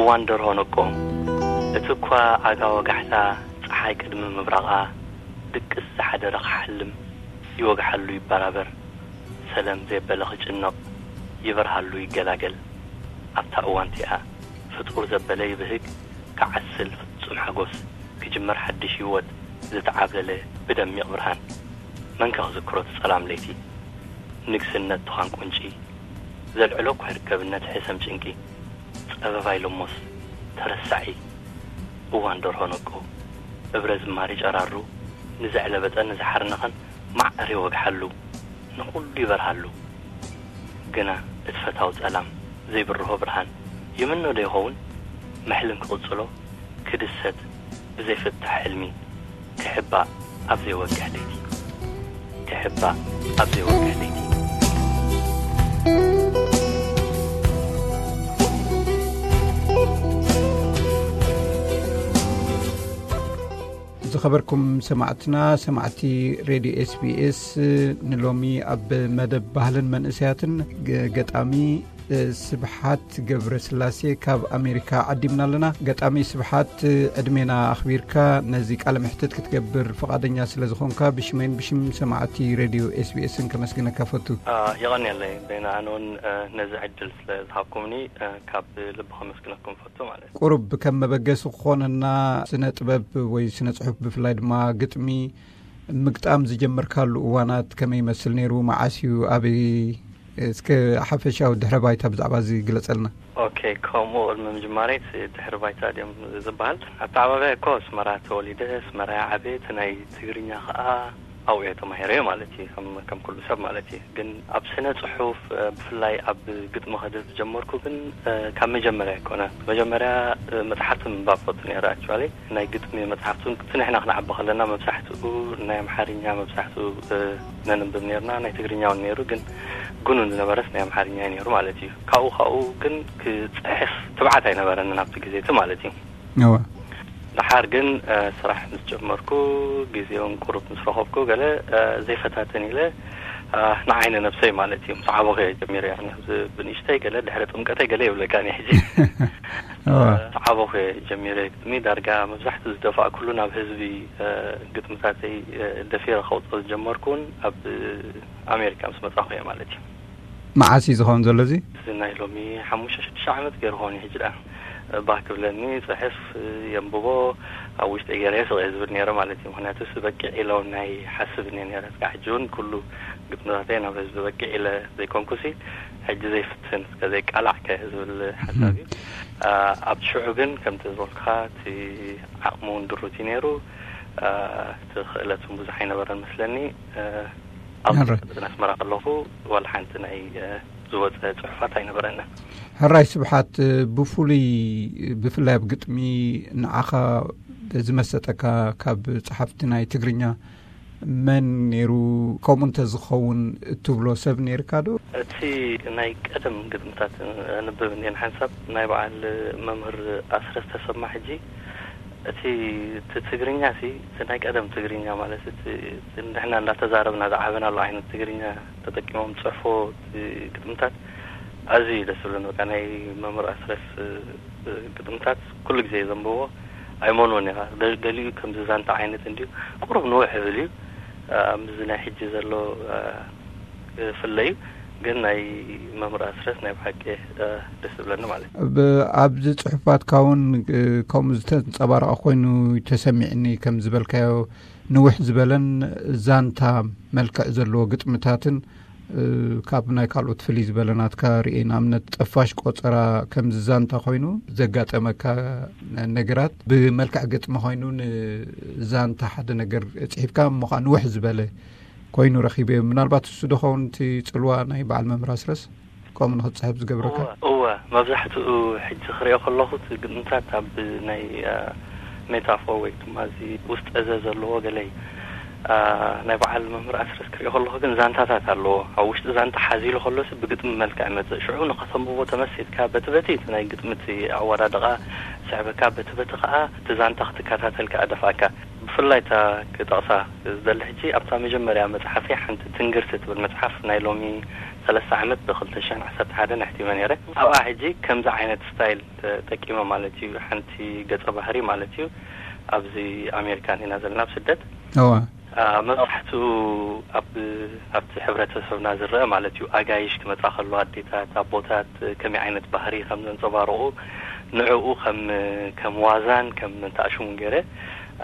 ዋን ደርሆ ነቆ። እቲ እኳ ዓጋ ወጋሕታ ጸሓይ ቅድሚ ምብራቓ ድቅስ ዝሓደረ ክሓልም ይወግሓሉ ይበራበር። ሰለም ዘየበለ ክጭነቕ ይበርሃሉ ይገላገል። ኣብታ እዋን እቲኣ ፍጡር ዘበለ ይብህግ፣ ክዓስል ፍጹም ሓጎስ፣ ክጅመር ሓድሽ ህይወት ዝተዓብለለ ብደሚቕ ብርሃን። መን ከ ክዝክሮ እቲ ጸላም ለይቲ? ንግስነት ትዃን ቁንጪ ዘልዕሎ እኳ ይርከብ ነቲ ሕሰም ጭንቂ። ጸበባ ኢሎሞስ ተረሳዒ እዋን ደርሆ ነቁ። እብረ ዝማሪ ጨራሩ ንዘዕለበጠን ንዝሓርነኸን ማዕር ይወግሓሉ፣ ንኹሉ ይበርሃሉ። ግና እቲ ፈታዊ ጸላም ዘይብርሆ ብርሃን ይምኖ ዶ ይኸውን? መሕልም ክቕጽሎ ክድሰት ብዘይፍታሕ ሕልሚ ክሕባእ ኣብ ዘይወግሕ ለይቲ፣ ክሕባእ ኣብ ዘይወግሕ ለይቲ። ዝኸበርኩም ሰማዕትና፣ ሰማዕቲ ሬድዮ ኤስቢኤስ፣ ንሎሚ ኣብ መደብ ባህልን መንእሰያትን ገ-፣ ገጣሚ ስብሓት ገብረስላሴ ካብ ኣሜሪካ ዓዲምና ኣለና። ገጣሚ ስብሓት፣ ዕድሜና ኣኽቢርካ ነዚ ቃለ መሕትት ክትገብር ፍቓደኛ ስለ ዝኾንካ፣ ብሽመይን ብሽም ሰማዕቲ ሬድዮ ኤስቢኤስን ከመስግነካ ፈቱ። አ፣ የቐንየለይ በይና፣ ኣነ እውን፣ አ፣ ነዚ ዕድል ስለ ዝሃብኩምኒ፣ አ፣ ካብ ልቢ ከመስግነኩም ፈቱ ማለት እዩ። ቁሩብ ከም መበገሲ ክኾነና፣ ስነ ጥበብ ወይ ስነ ጽሑፍ፣ ብፍላይ ድማ ግጥሚ ምግጣም ዝጀመርካሉ እዋናት ከመይ ይመስል ነይሩ? መዓስ እዩ? ኣበይ? እስከ ሓፈሻዊ ድሕረ ባይታ ብዛዕባ እዚ ግለጸልና። ኦኬ፣ ከምኡ ቅድሚ ምጅማረይ፣ እቲ ድሕረ ባይታ ድዮም ዝበሃል? ኣተዓባብያ እኮ ኣስመራ ተወሊደ፣ ኣስመራ እየ ዓብየ። እቲ ናይ ትግርኛ ኸኣ ኣብኡ እየ ተማሂረዮ ማለት እዩ፣ ከም፣ ከም ኩሉ ሰብ ማለት እዩ። ግን ኣብ ስነ ጽሑፍ፣ እ፣ ብፍላይ ኣብ ግጥሚ ከድህብ ዝጀመርኩ ግን፣ እ፣ ካብ መጀመርያ ኣይኮነ። መጀመርያ፣ እ፣ መጽሓፍቲ ምንባብ ፈቱ ነይረ። ኣክቹዋሊ ናይ ግጥሚ መጽሓፍቲ እውን፣ እቲ ንሕና ክንዓቢ ከለና መብዛሕትኡ ናይ ኣምሓርኛ፣ መብዛሕትኡ፣ እ፣ ነንብብ ነይርና። ናይ ትግርኛ እውን ነይሩ፣ ግን ግኑን ዝነበረስ ናይ ኣምሓርኛ እዩ ነይሩ ማለት እዩ። ካብኡ፣ ካብኡ ግን ክጽሕፍ ትብዓት ኣይነበረንን ኣብቲ ግዜ እቲ ማለት እዩ። እወ። ደሓር ግን፣ እ፣ ስራሕ ምስ ጀመርኩ፣ ግዜ እውን ቁሩብ ምስ ረኸብኩ፣ ገለ፣ እ፣ ዘይፈታተን ኢለ፣ እ፣ ንዓይኒ ነብሰይ ማለት እዩ፣ ምስ ዓበኹ እየ ጀሚረ። ያኒ፣ ኣብዚ ብንእሽተይ ገለ፣ ድሕሪ ጥምቀተይ ገለ ይብለካ እየ ሕጂ። እወ። እ፣ ምስ ዓበኹ እየ ጀሚረ ግጥሚ። ዳርጋ መብዛሕትኡ ዝደፋእኩሉ ናብ ህዝቢ፣ እ፣ ግጥምታተይ፣ እ፣ ደፊረ ከውፅኦ ዝጀመርኩ እውን ኣብ ኣሜሪካ ምስ መጻኹ እየ ማለት እዩ። መዓስ እዩ ዝኸውን ዘሎ እዚ? እዚ ናይ ሎሚ ሓሙሽተ ሽዱሽተ ዓመት ገይሩ ክኸውን እዩ ሕጂ ደኣ። ባህ ክብለኒ፣ ጽሕፍ፣ የንብቦ፣ ኣብ ውሽጠይ ገይረ ስቕ እየ ዝብል ነይረ ማለት እዩ። ምኽንያቱ፣ ስ በቂዕ ኢለ እውን ኣይሓስብን እየ ነይረ። እስካዕ ሕጂ እውን ኩሉ ግጥምታተይ ናብ ህዝቢ በቂዕ ኢለ ዘይኮንኩሲ፣ ሕጂ ዘይፍትን፣ እስከ ዘይቃላዕ ከ ዝብል ሓሳብ እዩ። እ። አ፣ ኣብቲ ሽዑ ግን፣ ከምቲ ዝበልኩኻ፣ እቲ ዓቕሚ እውን ድሩት እዩ ነይሩ። አ፣ እቲ ክእለት እውን ብዙሕ ኣይነበረን መስለኒ። እ፣ ኣብ ሕራይ። ኣስመራ ከለኹ ዋላ ሓንቲ ናይ፣ እ፣ ዝወጸ ጽሑፋት ኣይነበረንን። ሕራይ ስብሓት፣ ብፍሉይ ብፍላይ ኣብ ግጥሚ ንዓኻ ዝመሰጠካ ካብ ጸሓፍቲ ናይ ትግርኛ መን ነይሩ? ከምኡ እንተዝኸውን እትብሎ ሰብ ነይርካ ዶ? እቲ ናይ ቀደም ግጥምታት ኣንብብ እንድየ ንሓንሳብ፣ ናይ በዓል መምህር ኣስረስ ተሰማ። ሕጂ እቲ፣ እቲ ትግርኛ ሲ፣ እቲ ናይ ቀደም ትግርኛ ማለት እቲ፣ እቲ ንሕና እንዳተዛረብና ዝዓበናሉ ዓይነት ትግርኛ ተጠቂሞም ዝጽሕፎ እቲ ግጥምታት ኣዝዩ እዩ ደስ ዝብለኒ። በቃ ናይ መምህር ኣስረስ፣ እ፣ ግጥምታት ኩሉ ግዜ ዘንብቦ ኣይመንዎን እየ። ደ-፣ ገሊኡ ከምዚ ዛንታ ዓይነት እንድዩ፣ ቁሩብ ንውሕ ይብል እዩ። እ፣ ምስዚ ናይ ሕጂ ዘሎ፣ እ፣ ክፍለ እዩ። ግን ናይ መምህር ኣስረስ ናይ ብሓቂ፣ እ፣ ደስ ዝብለኒ ማለት እዩ። ብ-፣ ኣብዚ ጽሑፋትካ እውን፣ እ፣ ከምኡ ዝተንጸባረቐ ኮይኑ ተሰሚዕኒ፣ ከም ዝበልካዮ ንውሕ ዝበለን ዛንታ መልክዕ ዘለዎ ግጥምታትን፣ እ፣ ካብ ናይ ካልኦት ፍልይ ዝበለ ናትካ ርእየ። ንኣብነት፣ ጠፋሽ ቆጸራ ከምዚ ዛንታ ኮይኑ ዘጋጠመካ ነገራት ብመልክዕ ግጥሚ ኮይኑ ንዛንታ ሓደ ነገር ጽሒፍካ እሞ ኸኣ ንውሕ ዝበለ ኮይኑ ረኺበዮ። ምናልባት እሱ ዶ ኸውን እቲ ጽልዋ ናይ በዓል መምህር ኣስረስ ከምኡ ንኽትጽሕፍ ዝገብረካ? እወ፣ እወ። መብዛሕትኡ ሕጂ ክሪኦ ከለኹ እቲ ግጥምታት ኣብ ናይ፣ አ፣ ሜታፎር ወይ ድማ እዚ ውስጠ ዘ ዘለዎ ገለ እዩ። አ፣ ናይ በዓል መምህር ኣስረስ ክሪኦ ከለኹ ግን ዛንታታት ኣለዎ። ኣብ ውሽጢ ዛንታ ሓዚሉ ከሎሲ ብግጥሚ መልክዕ ይመጽእ። ሽዑ ንኸተንብቦ ተመሲጥካ በቲ በቲ እቲ ናይ ግጥሚ እቲ ኣወዳድቓ ስዕበካ፣ በቲ በቲ ከኣ እቲ ዛንታ ክትከታተል ከኣ ደፍኣካ። ብፍላይ እታ ክጠቕሳ ዝደሊ ሕጂ ኣብታ መጀመርያ መጽሓፈይ ሓንቲ ትንግርቲ ትብል መጽሓፍ ናይ ሎሚ ሰለስተ ዓመት ብ ክልተ ሽሕን ዓሰርተ ሓደን ኣሕቲመ ነይረ። ኣብኣ ሕጂ ከምዚ ዓይነት ስታይል ተጠቂመ ማለት እዩ። ሓንቲ ገጸ ባህሪ ማለት እዩ። ኣብዚ ኣሜሪካ ኢና ዘለና፣ ኣብ ስደት። እዋ አ፣ መብዛሕትኡ ኣብ ኣብቲ ሕብረተሰብና ዝረአ ማለት እዩ። ኣጋይሽ ክመጻ ከሎ፣ ኣዴታት፣ ኣቦታት ከመይ ዓይነት ባህሪ ከም ዘንጸባርቑ፣ ንዕኡ ከም ከም ዋዛን ከም ተኣሽሙን ገይረ፣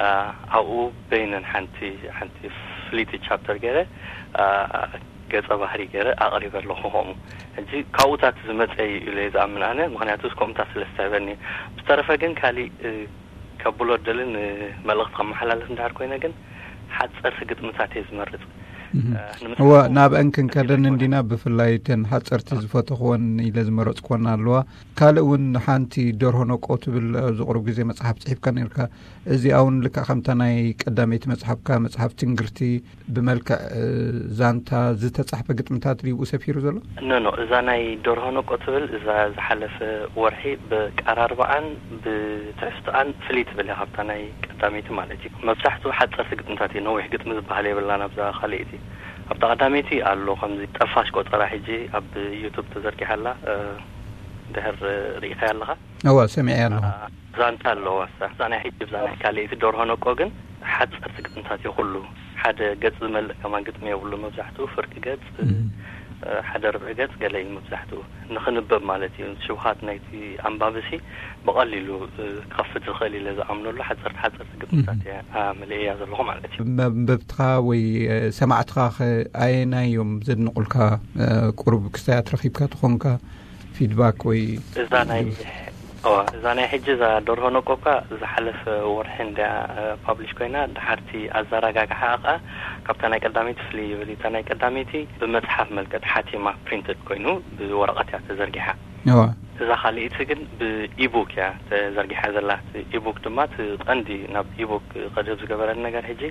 አ፣ ኣብኡ በይነን ሓንቲ ሓንቲ ፍልይቲ ቻፕተር ገይረ፣ አ፣ ገጸ ባህሪ ገይረ ኣቕሪበ ኣለኹ። ከምኡ ሕጂ ካብኡታት ዝመጸ እዩ ኢለ እየ ዝኣምን ኣነ፣ ምኽንያቱ ከምኡታት ስለ ዝተህበኒ። ብዝተረፈ ግን ካሊእ፣ እ፣ ከብሎ ደልን፣ እ፣ መልእኽቲ ከመሓላልፍ እንድሕር ኮይነ ግን ሓጸርቲ ግጥምታት እየ ዝመርጽ። እህ። እ፣ ንምሳሌ እወ፣ ናብአን ክንከደን ሓጺር እንዲና። ብፍላይ እተን ሓጸርቲ ዝፈተኽወን ኢለ ዝመረጽክወን ኣለዋ። ካልእ እውን ሓንቲ ደርሆ ነቆ ትብል ኣብዚ ቁሩብ ግዜ መጽሓፍ ጽሒፍካ ነርካ። እዚኣ እውን ልክዕ ከምታ ናይ ቀዳመይቲ መጽሓፍካ፣ መጽሓፍ ትንግርቲ፣ ብመልክዕ፣ እ፣ ዛንታ ዝተጻሕፈ ግጥምታት ድዩ ብኡ ሰፊሩ ዘሎ? ኖ፣ ኖ፣ እዛ ናይ ደርሆ ነቆ ትብል፣ እዛ ዝሓለፈ ወርሒ ብቀራርባኣን ብትሕዝቶኣን ፍልይ ትብል እያ ካብታ ናይ ቀዳመይቲ ማለት እዩ። መብዛሕትኡ ሓጸርቲ ግጥምታት እዩ፣ ነዊሕ ግጥሚ ዝበሃል የብላን ኣብዛ ካልኣይቲ። ኣብታ ቀዳመይቲ ኣሎ፣ ከምዚ ጠፋሽ ቆጸራ ሕጂ ኣብ ዩቱብ ተዘርጊሓ ኣላ፣ እ፣ ድሕር ርኢኻያ ኣለኻ? እወ፣ ሰሚዐያ ኣለኹ። አ፣ ዛንታ ኣለዋ እሳ። እዛ ናይ ሕጂ፣ እዛ ናይ ካልኣይቲ ደርሆ ነቆ ግን ሓጸርቲ ግጥምታት እዩ ኩሉ። ሓደ ገጽ ዝመልእ ከማን ግጥሚ የብሉ። መብዛሕትኡ ፍርቂ ገጽ፣ እም። እ፣ ሓደ ርብዒ ገጽ ገለ እዩ መብዛሕትኡ። ንኽንበብ ማለት እዩ። ሽውሃት ናይቲ ኣንባብሲ ብቐሊሉ፣ እ፣ ክኸፍት ዝኽእል ኢለ ዝኣምነሉ ሓጸርቲ ሓጸርቲ ግጥምታት እም። እያ፣ አ፣ መሊእያ ዘለኹ ማለት እዩ። መንበብትኻ ወይ፣ እ፣ ሰማዕትኻ ኸ ኣየናይ እዮም ዘድንቑልካ? እ፣ ቁሩብ ክስታያት ረኺብካ ትኾንካ? ፊድባክ ወይ እዛ ናይ፣ እዋ፣ እዛ ናይ ሕጂ እዛ ደርሆ ነቆ እኳ ዝሓለፈ ወርሒ እንድያ፣ እ፣ ፓብሊሽ ኮይና፣ ድሓርቲ ኣዘራጋግሓ ከኣ ካብታ ናይ ቀዳመይቲ ፍልይ ይብል እዩ። እታ ናይ ቀዳመይቲ ብመጽሓፍ መልክዕ ተሓቲማ፣ ፕሪንትድ ኮይኑ ብወረቐት እያ ተዘርጊሓ። እዋ። እዛ ካልኣይቲ ግን ብኢቡክ እያ ተዘርጊሓ ዘላ። እቲ ኢቡክ ድማ እቲ ቀንዲ ናብ ኢቡክ ከድህብ ዝገበረኒ ነገር ሕጂ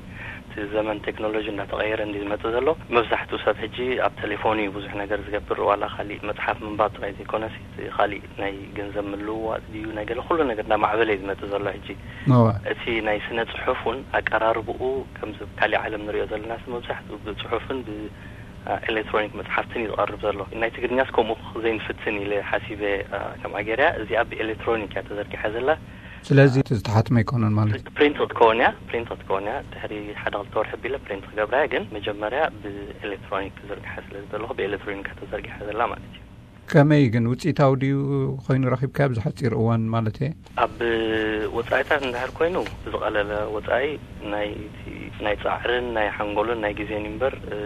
እቲ ዘመን ቴክኖሎጂ እንዳተቐየረ እንዲ ዝመጽእ ዘሎ። መብዛሕትኡ ሰብ ሕጂ ኣብ ቴሌፎኑ እዩ ብዙሕ ነገር ዝገብር። ዋላ ካሊእ መጽሓፍ ምንባብ ጥራይ ዘይኮነስ፣ እቲ ካሊእ ናይ ገንዘብ ምልውዋጥ ድዩ፣ ናይ ገለ፣ ኩሉ ነገር እንዳማዕበለ እዩ ዝመጽእ ዘሎ ሕጂ። እዋ። እቲ ናይ ስነ ጽሑፍ እውን ኣቀራርብኡ ከምዚ ኣብ ካሊእ ዓለም ንሪኦ ዘለናስ መብዛሕትኡ ብጽሑፍን ብ-፣ አ፣ ኤሌክትሮኒክ መጽሓፍትን እዩ ዝቐርብ ዘሎ። ናይ ትግርኛስ ከምኡ ዘይንፍትን ኢለ ሓሲበ፣ አ፣ ከምኣ ገይረያ። እዚኣ ብኤሌክትሮኒክ እያ ተዘርጊሓ ዘላ። ስለዚ እቲ ዝተሓትመ ኣይኮነን ማለት እዩ። ፕሪንት ክትከውን እያ፣ ፕሪንት ክትከውን እያ። ድሕሪ ሓደ ክልተ ወርሒ ኣቢለ ፕሪንት ክገብራ እየ፣ ግን መጀመርያ ብኤሌክትሮኒክ ክዝርግሓ ስለ ዝደለኹ ብኤሌክትሮኒክ እያ ተዘርጊሓ ዘላ ማለት እዩ። ከመይ ግን ውፅኢታዊ ድዩ ኮይኑ ረኺብካዮ ኣብዚ ሓፂር እዋን ማለት እየ? ኣብ ወፃኢታት እንድሕር ኮይኑ ብዝቐለለ ወፃኢ ናይ፣ ናይ ፃዕርን ናይ ሓንጎልን ናይ ግዜን እምበር፣ እ፣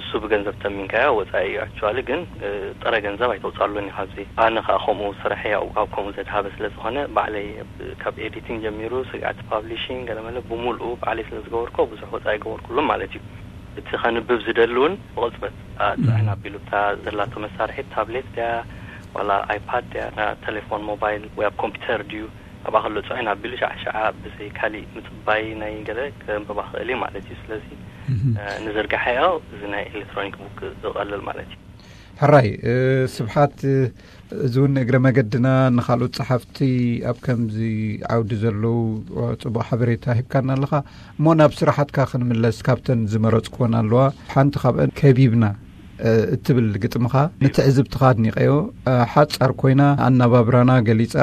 እሱ ብገንዘብ ተሚንካዮ ወፃኢ እዩ። ኣክቹዋሊ ግን፣ እ፣ ጥረ ገንዘብ ኣይተውፅኣሉን እዩ ካብዚ። ኣነ ከዓ ከምኡ ስርሐይ ኣብ፣ ኣብ ከምኡ ዘድሃበ ስለ ዝኾነ ባዕለይ ኣብ፣ ካብ ኤዲቲንግ ጀሚሩ ስግኣት ፓብሊሽንግ ገለመለ ብምልኡ ባዕለይ ስለ ዝገበርኮ ብዙሕ ወፃኢ ኣይገበርኩሉን ማለት እዩ። እቲ ከንብብ ዝደሊ እውን ብቕፅበት፣ አ፣ ፅዕን ኣቢሉ እታ ዘላቶ መሳርሒት ታብሌት ድያ ዋላ ኣይፓድ ድያ፣ ና፣ ቴሌፎን ሞባይል ወይ ኣብ ኮምፒውተር ድዩ ኣብኣ ከሎ ፅዕን ኣቢሉ ሻዕ ሻዓ ብዘይ ካሊእ ምፅባይ ናይ ገለ ከንብባ ክእል እዩ ማለት እዩ። ስለዚ፣ እህ። እ፣ ንዝርጋሐዮ እዚ ናይ ኤሌክትሮኒክ ቡክ ዝቐልል ማለት እዩ። ሕራይ፣ እ፣ ስብሓት፣ እ፣ እዚ እውን እግረ መገድና ንኻልኦት ጸሓፍቲ ኣብ ከምዚ ዓውዲ ዘለዉ፣ እ፣ ጽቡቕ ሓበሬታ ሂብካና ኣለኻ። እሞ ናብ ስራሓትካ ክንምለስ፣ ካብተን ዝመረጽኩወን ኣለዋ። ሓንቲ ካብአን ከቢብና፣ እ፣ እትብል ግጥምኻ ንትዕዝብትኻ ኣድኒቐዮ። እ፣ ሓጻር ኮይና ኣነባብራና ገሊጻ፣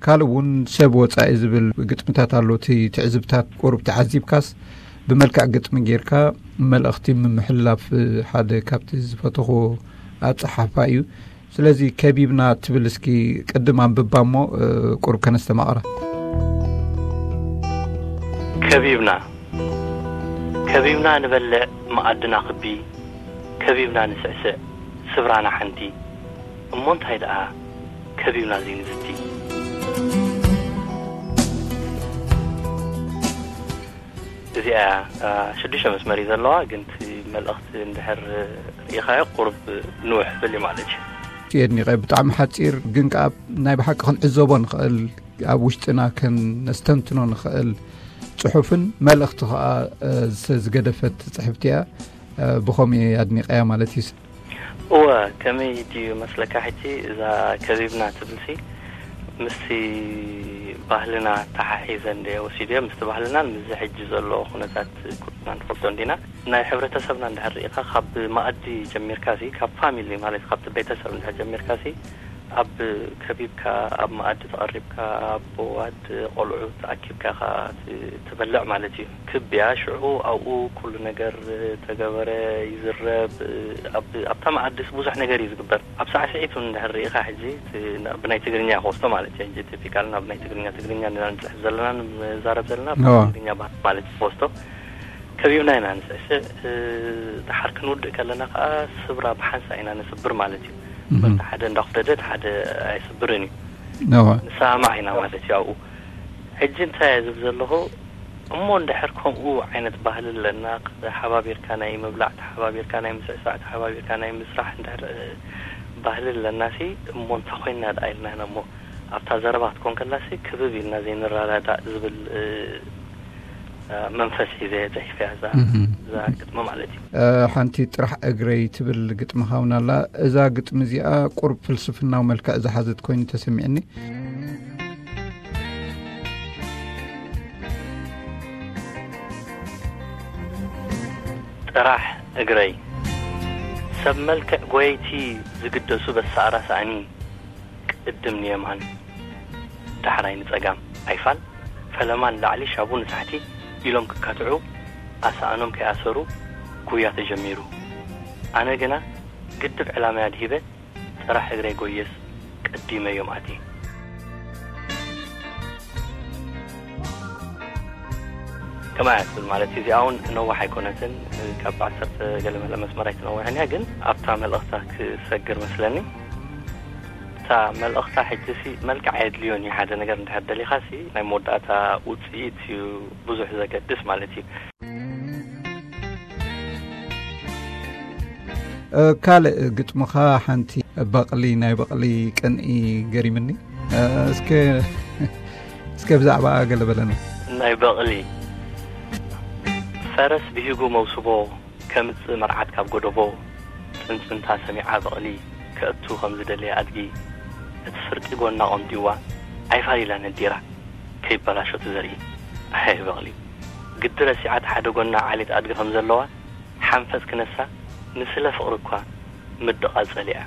ካልእ እውን ሰብ ወጻኢ ዝብል ግጥምታት ኣሎ። እቲ ትዕዝብታት ቁሩብ ተዓዚብካስ ብመልክዕ ግጥሚ ጌርካ መልእኽቲ ምምሕልላፍ፣ እ፣ ሓደ ካብቲ ዝፈተኹ ኣጸሓሕፋ እዩ። ስለዚ ከቢብና ትብል እስኪ ቅድም ኣንብባ እሞ፣ እ፣ ቁሩብ ከነስተማቕራ። ከቢብና፣ ከቢብና ንበልዕ መኣድና ክቢ፣ ከቢብና ንስዕስዕ ስብራና ሓንቲ። እሞ እንታይ ደኣ ከቢብና ዘይንዝቲ? እዚኣ፣ አ፣ ሽዱሽተ መስመር እዩ ዘለዋ፣ ግን እቲ መልእኽቲ እንድሕር ርኢኻዮ ቁሩብ ንውሕ ብል እዩ ማለት እዩ። የድኒቐ፣ ብጣዕሚ ሓጺር፣ ግን ከኣ ናይ ብሓቂ ክንዕዘቦ ንኽእል፣ ኣብ ውሽጥና ከነስተንትኖ ንኽእል ጽሑፍን መልእኽቲ ከኣ፣ እ፣ ዝገደፈት ጽሕፍቲ እያ። እ፣ ብኸምኡ እየ ኣድኒቐያ ማለት እዩ። እወ፣ ከመይ ድዩ መስለካ፣ ሕጂ እዛ ከቢብና ትብልሲ ምስቲ ባህልና ተሓሒዘ እንደ ወሲድዮ፣ ምስቲ ባህልናን ምስዚ ሕጂ ዘሎ ኩነታት ኩልና ንፈልጦ እንዲና። ናይ ሕብረተሰብና እንድሕር ርኢኻ፣ ካብ መኣዲ ጀሚርካ ሲ፣ ካብ ፋሚሊ ማለት ካብቲ ቤተሰብ እንድሕር ጀሚርካ ሲ፣ ኣብ ከቢብካ፣ ኣብ መኣዲ ተቐሪብካ፣ ኣቦ፣ ኣደ፣ ቆልዑ ተኣኪብካ ኢኻ ት-፣ ትበልዕ ማለት እዩ። ክብያ ሽዑ ኣብኡ ኩሉ ነገር ተገበረ፣ ይዝረብ። ኣብ፣ ኣብታ መኣድስ ብዙሕ ነገር እዩ ዝግበር። ኣብ ሳዕስዒት እውን እንድሕር ርኢኻ፣ ሕጂ እቲ ና-፣ ብናይ ትግርኛ ክወስዶ ማለት እዩ። ሕጂ ቲፒካል ናብ ናይ ትግርኛ፣ ትግርኛ ኢና ንጽሕፍ ዘለና፣ ንዛረብ ዘለና፣ እዎ። ትግርኛ ባህሊ ማለት እዩ ክወስዶ። ከቢብና ኢና ንስዕስዕ። እ፣ ደሓር ክንውድእ ከለና ከኣ ስብራ ብሓንሳእ ኢና ንስብር ማለት እዩ። እምበር እቲ ሓደ እንዳኹደደ እቲ ሓደ ኣይስብርን እዩ። እወ። ንሰማማዕ ኢና ማለት እዩ ኣብኡ። ሕጂ እንታይ እየ ዝብል ዘለኹ፣ እሞ እንድሕር ከምኡ ዓይነት ባህሊ ኣለና፣ ተሓባቢርካ ናይ ምብላዕ፣ ተሓባቢርካ ናይ ምስዕሳዕ፣ ተሓባቢርካ ናይ ምስራሕ እንድሕር፣ እ፣ ባህሊ ኣለናሲ፣ እሞ እንታይ ኮይንና ደኣ ኢልና ኢና እሞ ኣብታ ዘረባ ክትኮን ከላሲ ክብብ ኢልና ዘይንረዳዳእ ዝብል፣ እ፣ መንፈስ ሒዘ እየ ጽሒፈያ እዛ፣ እህ። እዛ ግጥሚ ማለት እዩ። እ፣ ሓንቲ ጥራሕ እግረይ ትብል ግጥሚ ሃውና ኣላ። እዛ ግጥሚ እዚኣ ቁሩብ ፍልስፍናዊ መልክዕ ዝሓዘት ኮይኑ ተሰሚዕኒ። ጥራሕ እግረይ። ሰብ መልክዕ ጎየይቲ ዝግደሱ በሳእራ ሳእኒ፣ ቅድም ንየማን ዳሕራይ ንጸጋም ኣይፋል፣ ፈለማ ንላዕሊ ሻቡ ንታሕቲ ኢሎም ክካትዑ፣ ኣሳእኖም ከይኣሰሩ ጉያ ተጀሚሩ። ኣነ ግና ግድብ ዕላማይ ኣድሂበ፣ ጥራሕ እግረይ ጎየስ ቀዲመዮም ኣትየ። ከማያ ትብል ማለት እዩ። እዚኣ እውን ነዋሕ ኣይኮነትን፣ ካብ ዓሰርተ ገለ መለ መስመር ኣይትነውሕን እያ፣ ግን ኣብታ መልእኽታ ክሰግር መስለኒ። እታ መልእኽታ ሕጂ ሲ መልክዕ ኣየድልዮን እዩ። ሓደ ነገር እንድሕር ደሊኻ ሲ ናይ መወዳእታ ውፅኢት እዩ ብዙሕ ዘገድስ ማለት እዩ። እ፣ ካልእ ግጥምኻ ሓንቲ በቕሊ፣ ናይ በቕሊ ቅንኢ ገሪምኒ። እ፣ እስከ፣ እስከ ብዛዕባ ገለ በለና። ናይ በቕሊ። ፈረስ ብሂጉ መውስቦ ከምጽእ መርዓት ካብ ጎደቦ፣ ጽንጽንታ ሰሚዓ በቕሊ ከእቱ ከም ዝደለየ ኣድጊ፣ እቲ ፍርቂ ጎና ቆምጢዋ ኣይፋል ኢላ ነዲራ፣ ከይበላሾ እቲ ዘርኢ። ኣይ በቕሊ፣ ግዲ ረሲዓት ሓደ ጎና ዓሌት ኣድጊ ከም ዘለዋ፣ ሓንፈጽ ክነሳ፣ ንስለ ፍቕሪ እኳ ምድቓ ጸሊኣ።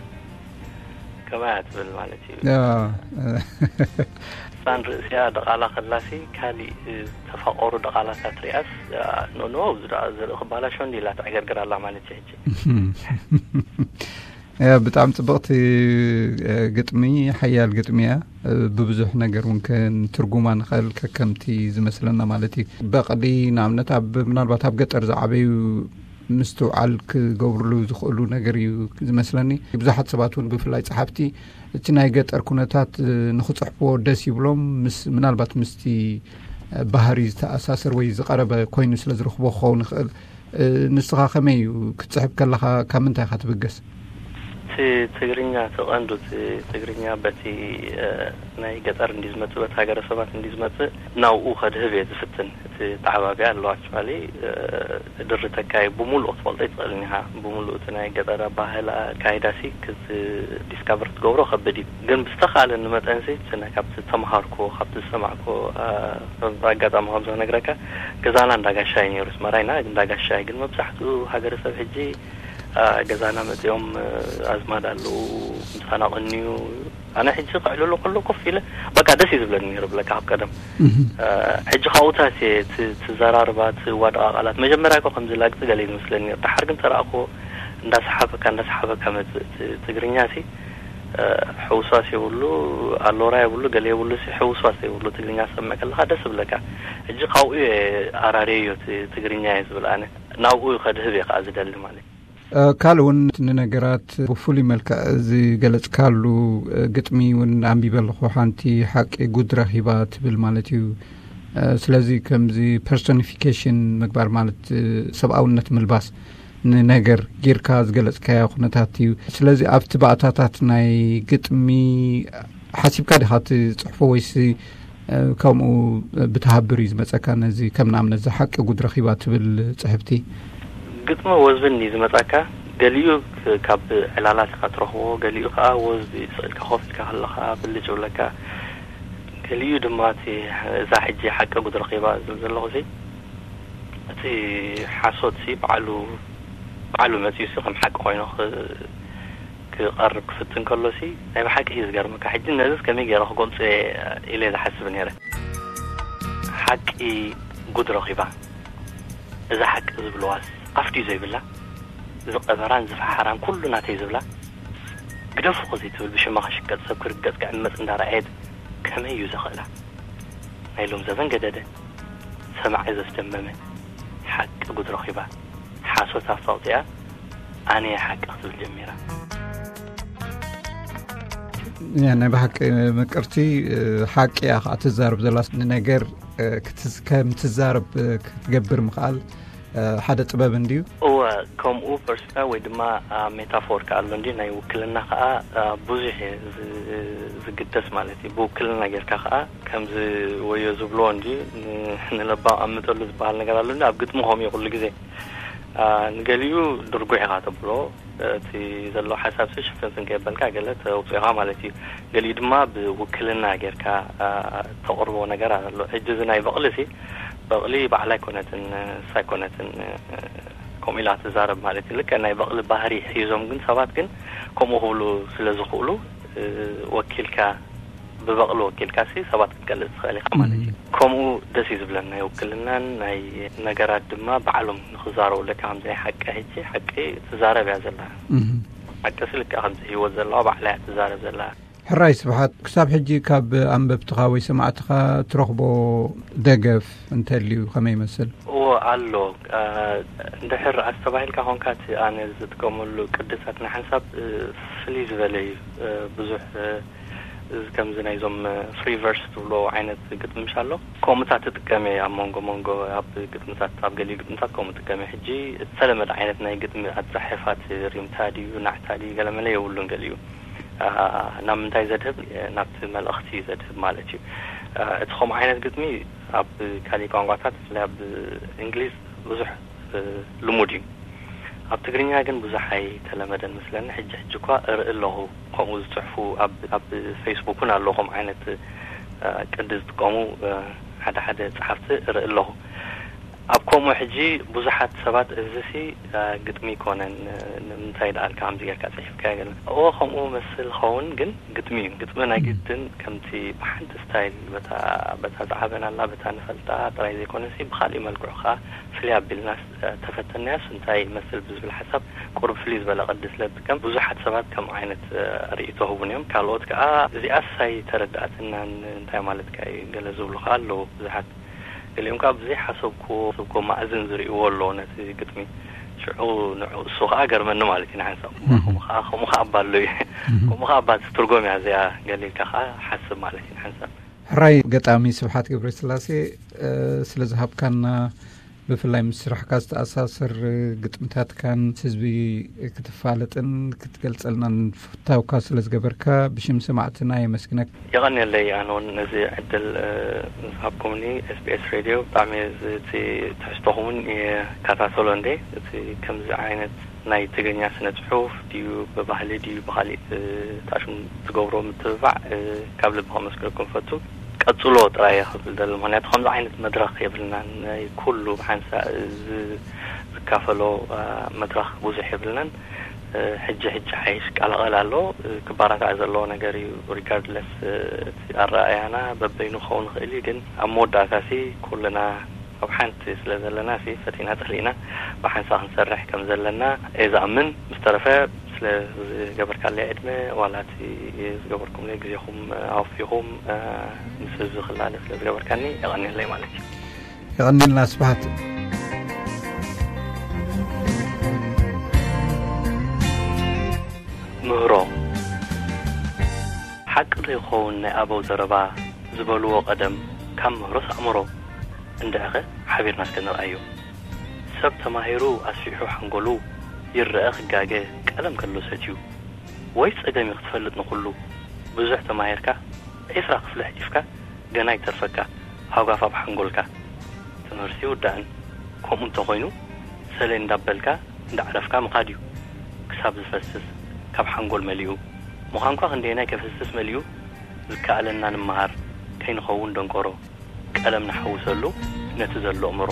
ከማያ ትብል ማለት እዩ። ያ። እሳን ርእሲኣ ደቓላ ከላሲ፣ ካሊእ ዝተፋቐሩ ደቓላታት ሪኣስ፣ ኖ፣ ኖ፣ እዚ ደኣ ዘርኢ ክባላሾ እንዲ ኢላ ትዕገርግር ኣላ ማለት እዩ ሕጂ። ያ፣ ብጣዕሚ ጽብቕቲ፣ እ፣ ግጥሚ፣ ሓያል ግጥሚ እያ። እ፣ ብብዙሕ ነገር እውን ከን ትርጉማ ንኽእል ከከምቲ ዝመስለና ማለት እዩ። በቕሊ ንኣብነት ኣብ፣ ምናልባት ኣብ ገጠር ዝዓበዩ ምስትውዓል ክገብርሉ ዝኽእሉ ነገር እዩ ዝመስለኒ። ብዙሓት ሰባት እውን ብፍላይ ጸሓፍቲ እቲ ናይ ገጠር ኩነታት፣ እ፣ ንኽጽሕፍዎ ደስ ይብሎም። ምስ፣ ምናልባት ምስቲ፣ እ፣ ባህሪ ዝተኣሳሰር ወይ ዝቐረበ ኮይኑ ስለ ዝረኽቦ ክኸውን ይኽእል። እ፣ ንስኻ ከመይ እዩ ክትጽሕፍ ከለኻ ካብ ምንታይ ኢኻ ትብገስ? እቲ ትግርኛ፣ እቲ ቀንዱ እቲ ትግርኛ በቲ፣ እ፣ ናይ ገጠር እንዲ ዝመጽእ፣ በቲ ሃገረሰባት እንዲ ዝመጽእ ናብኡ ከድህብ እየ ዝፍትን። እቲ ተዓባቢ ኣሎ ኣክቹዋሊ፣ እ፣ ድርተካ እዩ። ብምሉኡ ክትፈልጦ ኣይትኽእልን ኢኻ። ብምሉኡ እቲ ናይ ገጠር ኣባህላ ኣካይዳሲ ክት-፣ ዲስካቨር ክትገብሮ ከብድ እዩ። ግን ብዝተኻእለኒ መጠንሲ እቲ ናይ፣ ካብቲ ተምሃርኮ፣ ካብቲ ዝሰማዕኮ፣ እ፣ ኣጋጣሚ ከም ዝነግረካ፣ ገዛና እንዳጋሻይ ነይሩ። ኣስመራ ኢና፣ እንዳጋሻይ። ግን መብዛሕትኡ ሃገረሰብ ሕጂ፣ እ፣ ገዛና መጺኦም፣ እ፣ ኣዝማድ ኣለዉ፣ ምሳና ቅንዩ። ኣነ ሕጂ ክዕልሉ ከሎ ኮፍ ኢለ፣ በቃ ደስ እዩ ዝብለኒ ነይሩ ብለካ ካብ ቀደም። እህ። እ፣ ሕጂ ካብኡታት እየ፣ እቲ፣ እቲ ዘራርባ፣ እቲ ዋድቓ ቃላት፣ መጀመርያ እኮ ከምዚ ላግጺ ገለ እዩ ዝመስለኒ ነይሩ። ደሓር ግን ተረኣኽዎ፣ እንዳሰሓበካ፣ እንዳሰሓበካ መጽእ። እቲ ትግርኛ ሲ፣ እ፣ ሕውስዋስ የብሉ፣ ኣሎራ የብሉ፣ ገለ የብሉ ሲ፣ ሕውስዋስ የብሉ። ትግርኛ ሰምዕ ከለኻ ደስ ይብለካ። ሕጂ ካብኡ እየ ኣራርየዮ፣ እቲ ትግርኛ እየ ዝብል ኣነ። ናብኡ ከድህብ እየ ከኣ ዝደሊ ማለት እዩ። እ፣ ካልእ እውን ንነገራት ብፍሉይ መልክዕ ዝገለጽካሉ፣ እ፣ ግጥሚ እውን ኣንቢበ ኣለኹ። ሓንቲ ሓቂ ጉድ ረኺባ ትብል ማለት እዩ። እ፣ ስለዚ ከምዚ ፐርሶኒፊኬሽን ምግባር ማለት፣ እ፣ ሰብኣውነት ምልባስ ንነገር ጌርካ ዝገለጽካዮ ኩነታት እዩ። ስለዚ ኣብቲ ባእታታት ናይ ግጥሚ ሓሲብካ ዲኻ ትጽሕፎ ወይስ እ፣ ከምኡ ብተሃብር እዩ ዝመጸካ? ነዚ ከም ንኣብነት፣ "እዛ ሓቂ ጉድ ረኺባ" ትብል ጽሕፍቲ። ግጥሚ ወዝቢ እንድዩ ዝመጻካ፣ ገሊኡ ክ-፣ ካብ ዕላላት ኢኻ ትረኽቦ፣ ገሊኡ ከኣ ወዝቢ ስቕ ኢልካ ኮፍ ኢልካ ከለኻ ብልጭ ይብለካ፣ ገሊኡ ድማ እቲ፣ እዛ ሕጂ ሓቂ ጉድ ረኺባ ዝብል ዘለኹሲ፣ እቲ ሓሶትሲ ባዕሉ፣ ባዕሉ መጺኡሲ ከም ሓቂ ኮይኑ ክ-፣ ክቐርብ ክፍትን ከሎሲ ናይ ብሓቂ እዩ ዝገርመካ። ሕጂ ነዚስ ከመይ ገይረ ክገልጾ እየ ኢለ ዝሓስብ ነይረ። ሓቂ ጉድ ረኺባ። እዛ ሓቂ ዝብልዋስ ኣፍ ድዩ ዘይብላ? ዝቐበራን ዝፈሓራን ኩሉ ናተይ ዝብላ፣ ግደፉ ከ ዘይትብል ብሽማ ክሽቀጥ ሰብ ክርገጽ ክዕመጽ እንዳረኣየት ከመይ እዩ ዘኽእላ? ናይ ሎም ዘበን ገደደ፣ ሰማዒ ዘስደመመ ሓቂ ጉድ ረኺባ። ሓሶት ኣፍታ ኣውጺኣ ኣነ እየ ሓቂ ክትብል ጀሚራ። ያ ናይ ብሓቂ ምቅርቲ ሓቂ እያ ከዓ ትዛረብ ዘላ። ንነገር ክትዝ-፣ ከም ትዛረብ ክትገብር ምኽኣል ሓደ ጥበብ እንድዩ። እወ፣ ከምኡ ፐርስና ወይ ድማ ሜታፎር ከኣ ኣሎ እንዲ ናይ ውክልና ከኣ ብዙሕ እየ ዝ-፣ ዝግደስ ማለት እዩ። ብውክልና ጌርካ ከኣ ከምዚ ወዮ ዝብልዎ እንዲ ን-፣ ንለባም ኣምጠሉ ዝበሃል ነገር ኣሎ እንዲ ኣብ ግጥሚ ከምኡ እዩ ኩሉ ግዜ። ንገሊኡ ድርጉሕ ኢኻ ተብሎ፣ እቲ ዘሎ ሓሳብሲ ሽፍንፍን ከየበልካ ገለ ተውፅኢኻ ማለት እዩ። ገሊኡ ድማ ብውክልና ጌርካ ተቕርቦ ነገር ኣሎ። ሕጂ እዚ ናይ በቕሊ ሲ በቕሊ ባዕላ ኣይኮነትን፣ ንሳ ኣይኮነትን ከምኡ ኢላ ትዛረብ ማለት እዩ። ልክዕ ናይ በቕሊ ባህሪ ሒዞም ግን ሰባት ግን ከምኡ ክብሉ ስለ ዝኽእሉ ወኪልካ ብበቕሊ ወኪልካ ሲ ሰባት ክትገልጽ ትኽእል ኢኻ ማለት እዩ። ከምኡ ደስ እዩ ዝብለኒ ናይ ውክልናን ናይ ነገራት ድማ ባዕሎም ንኽዛረቡ ለካ ከምዚ ናይ ሓቂ ሕጂ ሓቂ ትዛረብ እያ ዘላ። ሓቂ ሲ ልክዕ ከምዚ ህይወት ዘለዋ ባዕላ እያ ትዛረብ ዘላ። ሕራይ ስብሓት፣ ክሳብ ሕጂ ካብ ኣንበብትኻ ወይ ሰማዕትኻ ትረኽቦ ደገፍ እንተልዩ ከመይ ይመስል? እዎ ኣሎ። እንድሕር ኣስተባሂልካ ኾንካ እቲ ኣነ ዝጥቀመሉ ቅድሳት ንሓንሳብ ፍልይ ዝበለ እዩ። ብዙሕ እዚ ከምዚ ናይዞም ፍሪ ቨርስ ትብሎ ዓይነት ግጥሚ ምሽ ኣሎ። ከምኡታት ትጥቀም እየ ኣብ መንጎ መንጎ ኣብ ግጥምታት፣ ኣብ ገሊኡ ግጥምታት ከምኡ ጥቀም እየ። ሕጂ ዝተለመደ ዓይነት ናይ ግጥሚ ኣጻሕፋት ሪምታ ድዩ ናዕታ ድዩ ገለመለ የብሉን። ገሊኡ ናብ ምንታይ ዘድህብ፣ ናብቲ መልእኽቲ ዘድህብ ማለት እዩ። እቲ ከምኡ ዓይነት ግጥሚ ኣብ ካሊእ ቋንቋታት ብፍላይ ኣብ እንግሊዝ ብዙሕ ልሙድ እዩ። ኣብ ትግርኛ ግን ብዙሕ ኣይተለመደን ምስለኒ። ሕጂ ሕጂ እኳ እርኢ ኣለኹ ከምኡ ዝፅሕፉ ኣብ፣ ኣብ ፌስቡክ እውን ኣሎ ከምኡ ዓይነት ቅዲ ዝጥቀሙ ሓደ ሓደ ፀሓፍቲ እርኢ ኣለኹ። ኣብ ከምኡ ሕጂ ብዙሓት ሰባት እዚሲ ግጥሚ ይኮነን ንምንታይ ደኣልካ ከምዚ ጌርካ ፅሒፍካ ገለ እዎ ከምኡ መስል ኸውን ግን ግጥሚ እዩ። ግጥሚ ናይ ግድን ከምቲ ብሓንቲ ስታይል በታ፣ በታ ዝዓበናላ በታ ንፈልጣ ጥራይ ዘይኮነሲ ብካሊእ መልክዑ ከዓ ፍልይ ኣቢልና ተፈተናያስ እንታይ ይመስል ብዝብል ሓሳብ ቁሩብ ፍልይ ዝበለ ቅዲ ስለ ዝጥቀም ብዙሓት ሰባት ከምኡ ዓይነት ርእይቶ ህቡን እዮም። ካልኦት ከዓ እዚኣስ ኣይተረድኣትናን እንታይ ማለትካ እዩ ገለ ዝብሉ ከዓ ኣለዉ ብዙሓት። ገሊኦም ከዓ ብዘይሓሰብክዎ ሰብኮ ማእዝን ዝርእይዎ ኣለዉ ነቲ ግጥሚ። ሽዑ ንዑ እሱ ከዓ ገርመኒ ማለት እዩ ንሓንሳብ። ከምኡ ከዓ፣ ከምኡ ከዓ እባ ኣሎ እዩ። ከምኡ ከዓ እባ ትትርጎም እያ እዚኣ ገሊልካ ከዓ ሓስብ ማለት እዩ ንሓንሳብ። ሕራይ ገጣሚ ስብሓት ገብረስላሴ፣ ስለ ዝሃብካና ብፍላይ ምስ ስራሕካ ዝተኣሳሰር ግጥምታትካን ህዝቢ ክትፋለጥን ክትገልጸልናን ፍታውካ ስለ ዝገበርካ ብሽም ሰማዕትና የመስግነካ። የቐንየለይ። ኣነ እውን ነዚ ዕድል ዝሃብኩምኒ ኤስቢኤስ ሬድዮ ብጣዕሚ እቲ ትሕዝቶኹም እውን ይከታተሎ እንዴ። እቲ ከምዚ ዓይነት ናይ ትግርኛ ስነ ጽሑፍ ድዩ ብባህሊ ድዩ ብኻሊእ ታሽም ትገብሮ ምትብባዕ ካብ ልቢ ከመስግነኩም ፈቱ። ቀጽሎ ጥራይ እየ ክብል ደሊ። ምኽንያቱ ከምዚ ዓይነት መድረኽ የብልናን። ናይ ኩሉ ብሓንሳእ ዝ-፣ ዝካፈሎ መድረኽ ብዙሕ የብልናን። ሕጂ ሕጂ ሓይሽ ቀላቐል ኣሎ። ክባራታዕ ዘለዎ ነገር እዩ። ሪጋርድለስ እቲ ኣረኣያና በበይኑ ክኸውን ይኽእል እዩ፣ ግን ኣብ መወዳእታ ሲ ኩልና ኣብ ሓንቲ ስለ ዘለና ሲ ፈቲና ጸሊእና ብሓንሳ ክንሰርሕ ከም ዘለና እየ ዝኣምን። ምስ ተረፈ ስለ ዝገበርካለይ ዕድመ ዋላ እቲ ዝገበርኩምለይ ግዜኹም ኣወፊኹም ምስ ህዝቢ ክላለ ስለ ዝገበርካኒ የቐንየለይ ማለት እዩ። የቐንየልና ስብሓት። ምህሮ ሓቂ ዶ ይኸውን ናይ ኣበው ዘረባ ዝበልዎ ቀደም ካብ ምህሮስ ኣእምሮ? እንድዕኸ ሓቢርና እስከ ንርኣዮ። ሰብ ተማሂሩ ኣስፊሑ ሓንጎሉ ይረአ ክጋገ ቀለም ከሎ ሰትዩ ወይ ጸገም እዩ ክትፈልጥ ንኹሉ ብዙሕ ተማሂርካ ዒስራ ክፍሊ ሕሊፍካ ገና ይተርፈካ ሃጓፍ ኣብ ሓንጎልካ። ትምህርቲ ይውዳእን ከምኡ እንተኾይኑ ሰለይ እንዳበልካ እንዳዕረፍካ ምኻድ እዩ። ክሳብ ዝፈስስ ካብ ሓንጎል መሊኡ ምዃንኳ ክንደየናይ ከፍስስ መሊኡ ዝከኣለና ንምሃር ከይንኸውን ደንቆሮ ቀለም ንሓውሰሉ ነቲ ዘሎ እምሮ።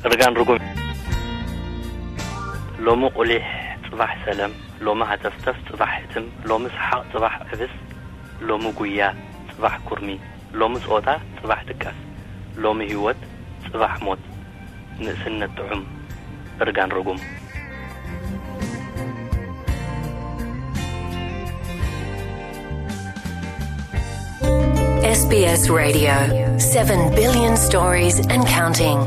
እርጋን ርጉም። ሎሚ ቁሊሕ ጽባሕ ሰለም፣ ሎሚ ሃተፍተፍ ጽባሕ ሕትም፣ ሎሚ ሰሓቕ ጽባሕ ዕብስ፣ ሎሚ ጉያ ጽባሕ ኩርሚ፣ ሎሚ ጾታ ጽባሕ ድቃስ፣ ሎሚ ህይወት ጽባሕ ሞት፣ ንእስነት ጥዑም፣ እርጋን ርጉም። S B S Radio, seven billion stories and counting.